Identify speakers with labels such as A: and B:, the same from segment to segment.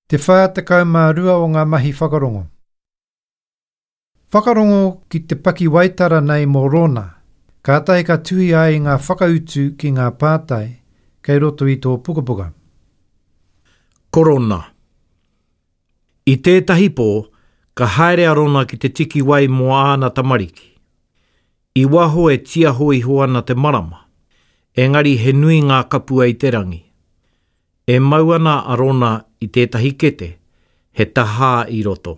A: Te 42 o ngā mahi whakarongo. Whakarongo ki te pakiwaitara nei mō Rona, kātahi ka tuhi ai i ngā whakautu ki ngā pātai kei roto i tō pukapuka.
B: Korona. I tētahi pō, ka haere a Rona ki te tiki wai mō āna tamariki. I waho e tiaho iho ana te marama, engari he nui ngā kapua i te rangi. E mau ana a Rona i tētahi kete, he tahā i roto.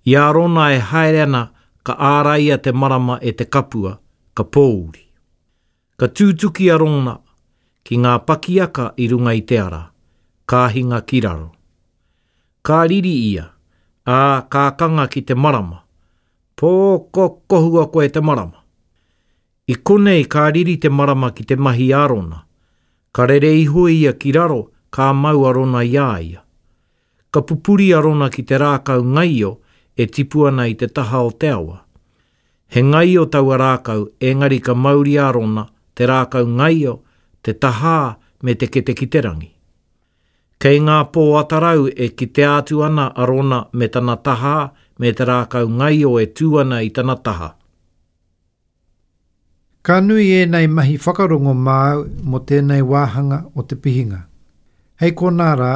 B: I a Rona e haere ana ka āraia te marama e te kapua, ka pōuri. Ka tūtuki a Rona ki ngā pakiaka i runga i te ara, ka hinga ki raro. Ka riri ia, ā, ka kanga ki te marama, Pōkokohua koe te marama! I konei ka riri te marama ki te mahi a Rona. Ka rere iho ia ki raro, ka mau a Rona i a ia. Ka pupuri a Rona ki te rākau ngaio e tipu ana i te taha o te awa. He ngaio taua rākau, engari ka mauria a Rona, te rākau ngaio, te tahā me te kete ki te rangi. Kei ngā pō atarau e kitea atu ana a Rona me tana tahā me te rākau ngaio e tū ana i tana taha.
A: Ka nui ēnei mahi whakarongo māu mō tēnei wāhanga o te pihinga. Hei konā rā.